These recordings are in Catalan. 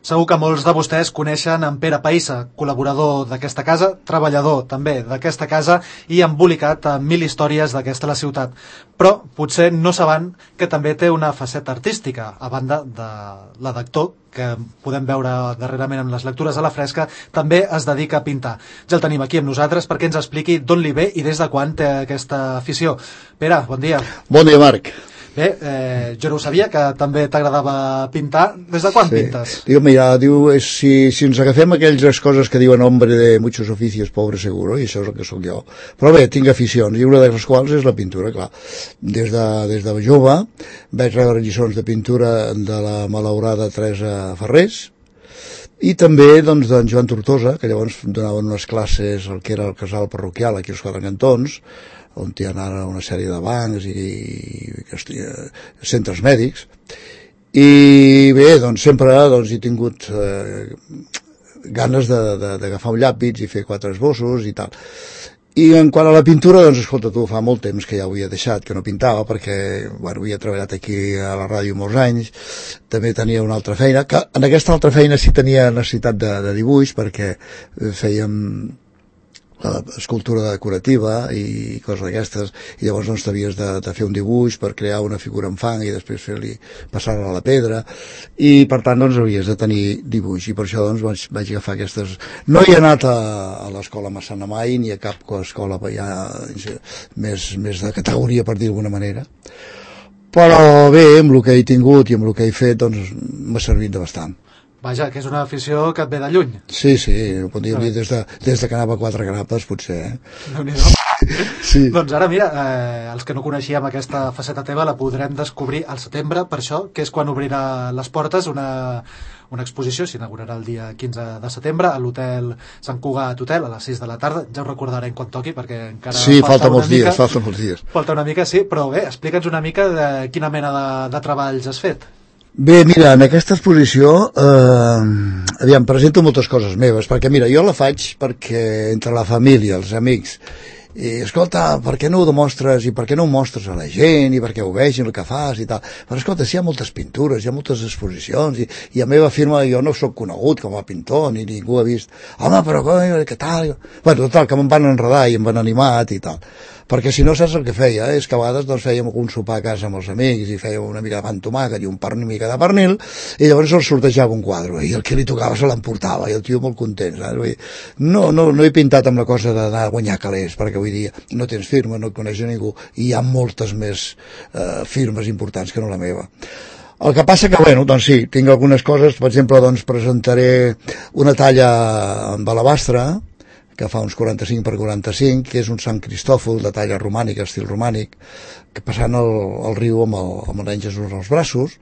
Segur que molts de vostès coneixen en Pere Païssa, col·laborador d'aquesta casa, treballador també d'aquesta casa i embolicat amb 1000 històries d'aquesta la ciutat. Però potser no saben que també té una faceta artística, a banda de la d'actor, que podem veure darrerament en les lectures a la fresca, també es dedica a pintar. Ja el tenim aquí amb nosaltres perquè ens expliqui d'on li ve i des de quan té aquesta afició. Pere, bon dia. Bon dia, Marc. Bé, jo no ho sabia, que també t'agradava pintar. Des de quan pintes? Mira, si ens agafem aquelles coses que diuen hombre de muchos oficios, pobre seguro, i això és el que sóc jo. Però bé, tinc aficions, i una de les quals és la pintura, clar. Des de jove vaig rebre lliçons de pintura de la malaurada Teresa Ferrés, i també d'en Joan Tortosa, que llavors donaven unes classes al que era el casal parroquial aquí als Quatre Cantons, on hi ha ara una sèrie de bancs i centres mèdics, i bé, doncs sempre he tingut ganes d'agafar un llàpis i fer 4 esbossos i tal. I en quant a la pintura, doncs escolta tu, fa molt temps que ja ho havia deixat, que no pintava, perquè havia treballat aquí a la ràdio molts anys, també tenia una altra feina, que en aquesta altra feina sí tenia necessitat de dibuix, perquè fèiem escultura decorativa i coses d'aquestes, i llavors doncs t'havies de fer un dibuix per crear una figura en fang i després passar-la a la pedra, i per tant doncs havies de tenir dibuix, i per això doncs vaig agafar aquestes. No he anat a l'escola Massana mai, ni a cap escola ja més de categoria, per dir d'alguna manera, però bé, amb el que he tingut i amb el que he fet doncs m'ha servit de bastant. Vaja, que és una afició que et ve de lluny. Sí, ho podríem dir des de que anava a 4 grapes, potser. Déu-n'hi-do. Sí. Doncs ara, mira, els que no coneixíem aquesta faceta teva la podrem descobrir al setembre, per això, que és quan obrirà les portes una exposició, s'inaugurarà el dia 15 de setembre a l'hotel Sant Cugat Hotel a les 6 de la tarda. Ja ho recordarem quan toqui, perquè encara falta molts dies. Falta una mica, sí, però bé, explica'ns una mica de quina mena de treballs has fet. Bé, mira, en aquesta exposició presento moltes coses meves, perquè mira, jo la faig perquè entre la família, els amics, i escolta, per què no ho demostres i per què no ho mostres a la gent i perquè ho vegin el que fas i tal. Però escolta, si hi ha moltes pintures, hi ha moltes exposicions i a meva firma jo no sóc conegut com a pintor ni ningú ha vist, home, però què tal? Bueno, total, que me'n van enredar i em van animar i tal. Perquè si no saps el que feia, és que a vegades doncs fèiem un sopar a casa amb els amics i fèiem una mica de pa amb tomàquet i una mica de pernil, i llavors el sortejava un quadre i el que li tocava se l'emportava i el tio molt content, saps? No he pintat amb la cosa d'anar a guanyar calés, perquè vull dir, no tens firma, no et coneix ningú i hi ha moltes més firmes importants que no la meva. El que passa que, bueno, doncs sí, tinc algunes coses, per exemple, doncs presentaré una talla amb alabastre, que fa uns 45 per 45, que és un Sant Cristòfol de talla romànica, estil romànic, que passant el riu amb el nen Jesús als braços.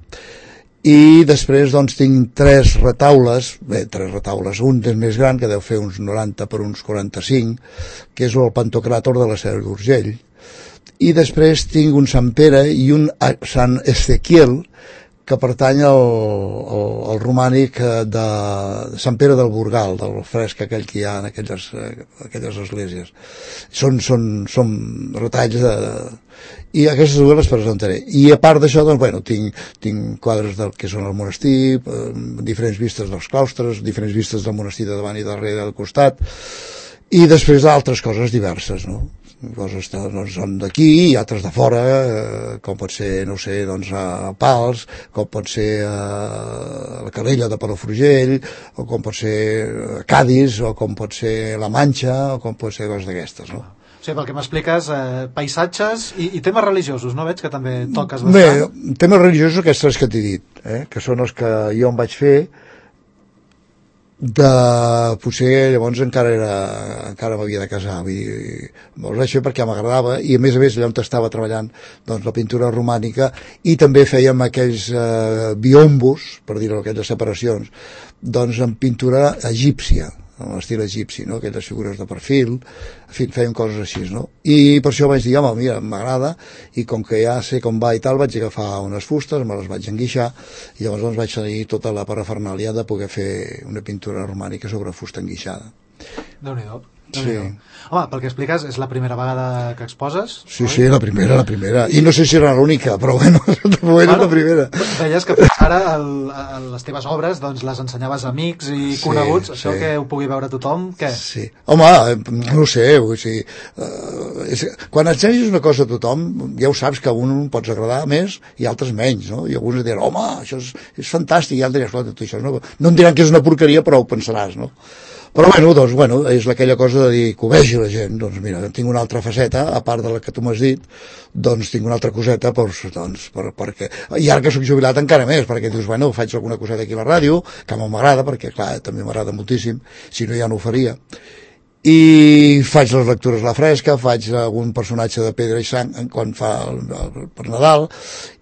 I després doncs tinc 3 retaules, un és més gran, que deu fer uns 90 per uns 45, que és el Pantocràtor de la Seu d'Urgell. I després tinc un Sant Pere i un Sant Ezequiel, que pertany al romànic de Sant Pere del Burgal, del fresc aquell que hi ha en aquelles esglésies. Són retalls i aquestes dues les presentaré. I a part d'això, doncs, bueno, tinc quadres del que són el monestir, diferents vistes dels claustres, diferents vistes del monestir de davant i darrere del costat, i després d'altres coses diverses, no? Coses doncs, són d'aquí i altres de fora, com pot ser, no sé, doncs a Pals, com pot ser a la Calella de Palafrugell, o com pot ser a Cadis, o com pot ser la Manxa, o com pot ser coses d'aquestes, no? O sigui, pel que m'expliques, paisatges i temes religiosos, no? Veig que també toques bastant. Bé, temes religiosos aquests que t'he dit, que són els que jo em vaig fer, potser llavors encara m'havia de casar, vull dir, me'ls vaig fer perquè m'agradava, i a més allà on estava treballant doncs la pintura romànica, i també fèiem aquells biombos, per dir-ho, aquelles separacions, doncs en pintura egípcia, en l'estil egipci, no? Aquelles figures de perfil, en fi, fèiem coses així, no? I per això vaig dir, home, mira, m'agrada, i com que ja sé com va i tal, vaig agafar unes fustes, me les vaig enguixar, i llavors doncs vaig tenir tota la parafernàlia de poder fer una pintura romànica sobre fusta enguixada. Déu-n'hi-do. Sí. Home, pel que expliques, és la primera vegada que exposes? Sí, sí, la primera. I no sé si era l'única, però bueno, de moment és la primera. Deies que ara les teves obres doncs, les ensenyaves a amics i coneguts, això que ho pugui veure tothom, què? Sí. Home, no ho sé, vull dir, quan ensenyes una cosa a tothom, ja ho saps que a un pots agradar més i altres menys, no? I alguns diran, home, això és fantàstic, i altres diran, escolta, tu això no em diran que és una porqueria, però ho pensaràs, no? Però bueno, és aquella cosa de dir que ho vegi la gent, doncs mira, tinc una altra faceta, a part de la que tu m'has dit, doncs tinc una altra coseta, perquè, i ara que soc jubilat encara més, perquè dius, bueno, faig alguna coseta aquí a la ràdio, que m'agrada, perquè clar, també m'agrada moltíssim, si no ja no ho faria, i faig les lectures a la fresca, faig algun personatge de Pedra i Sang quan fa per Nadal,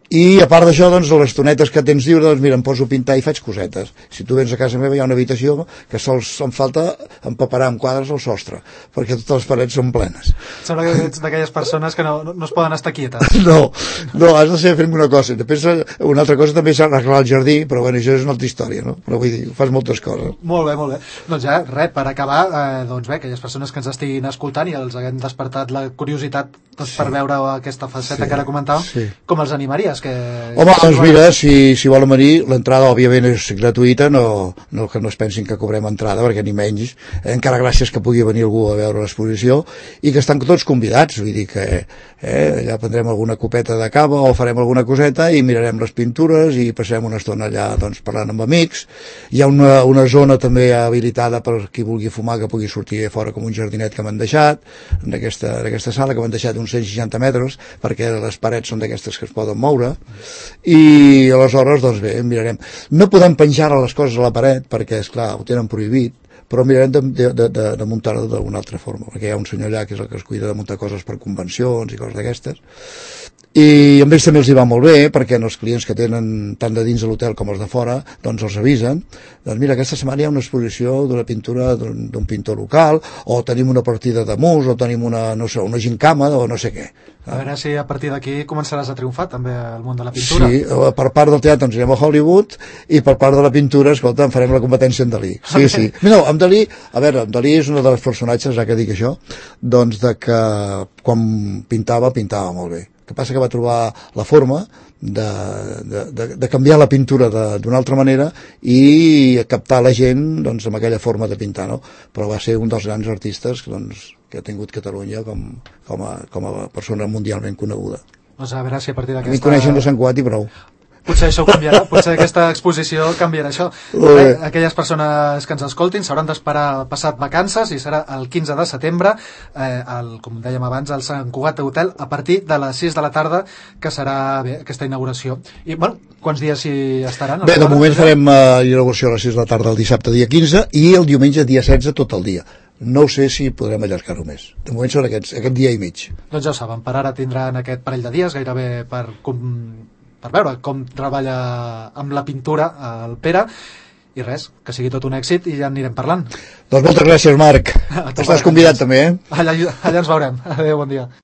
i a part d'això, doncs, les tonetes que tens lliure, doncs mira, em poso a pintar i faig cosetes. Si tu vens a casa meva hi ha una habitació que sols em falta empaperar amb quadres al sostre, perquè totes les parets són plenes. Sembla que ets d'aquelles persones que no es poden estar quietes. No, has de ser fent una cosa. Després, una altra cosa també és arreglar el jardí, però bueno, això és una altra història, no? Però vull dir, fas moltes coses. Molt bé. Doncs ja, res, per acabar, doncs bé, aquelles persones que ens estiguin escoltant i els haguem despertat la curiositat doncs, per veure aquesta faceta que ara comentàvem, com els animaries? Home, doncs mira, si volen venir, l'entrada òbviament és gratuïta, no que no es pensin que cobrem entrada, perquè ni menys, encara gràcies que pugui venir algú a veure l'exposició, i que estan tots convidats, vull dir que allà prendrem alguna copeta de cava o farem alguna coseta i mirarem les pintures i passarem una estona allà doncs, parlant amb amics. Hi ha una zona també habilitada per qui vulgui fumar, que pugui sortir a fora com un jardinet que m'han deixat, en aquesta sala que m'han deixat uns 160 metres, perquè les parets són d'aquestes que es poden moure, i aleshores doncs bé, mirarem, no podem penjar les coses a la paret perquè esclar, ho tenen prohibit, però mirarem de muntar-ho d'una altra forma, perquè hi ha un senyor allà que és el que es cuida de muntar coses per convencions i coses d'aquestes, i amb ells també els hi va molt bé, perquè els clients que tenen tant de dins de l'hotel com els de fora, doncs els avisen, doncs mira, aquesta setmana hi ha una exposició d'una pintura d'un pintor local, o tenim una partida de mus, o tenim una gincama, o no sé què. A veure si a partir d'aquí començaràs a triomfar també al món de la pintura. Sí, per part del teatre ens anirem a Hollywood, i per part de la pintura, escolta, en farem la competència en Dalí. Sí. No, en Dalí, a veure, en Dalí és un dels personatges, ja que dic això, doncs de que quan pintava molt bé. El que passa que va trobar la forma de canviar la pintura d'una altra manera i captar la gent doncs, amb aquella forma de pintar, no? Però va ser un dels grans artistes doncs, que ha tingut Catalunya com a persona mundialment coneguda. Doncs a veure si a partir d'aquesta... A mi coneixen de Sant Cugat i prou. Potser això ho canviarà, potser aquesta exposició canviarà això. Aquelles persones que ens escoltin s'hauran d'esperar passat vacances i serà el 15 de setembre, com dèiem abans, al Sant Cugat Hotel, a partir de les 6 de la tarda, que serà aquesta inauguració. I, bueno, quants dies hi estaran? Bé, de moment farem inauguració a les 6 de la tarda el dissabte dia 15 i el diumenge dia 16 tot el dia. No sé si podrem allargar-ho més. De moment són aquest dia i mig. Doncs ja ho saben, per ara tindran aquest parell de dies, gairebé per veure com treballa amb la pintura el Pere, i res, que sigui tot un èxit i ja anirem parlant. Doncs moltes gràcies, Marc. Estàs convidat també, Allà ens veurem. Adéu, bon dia.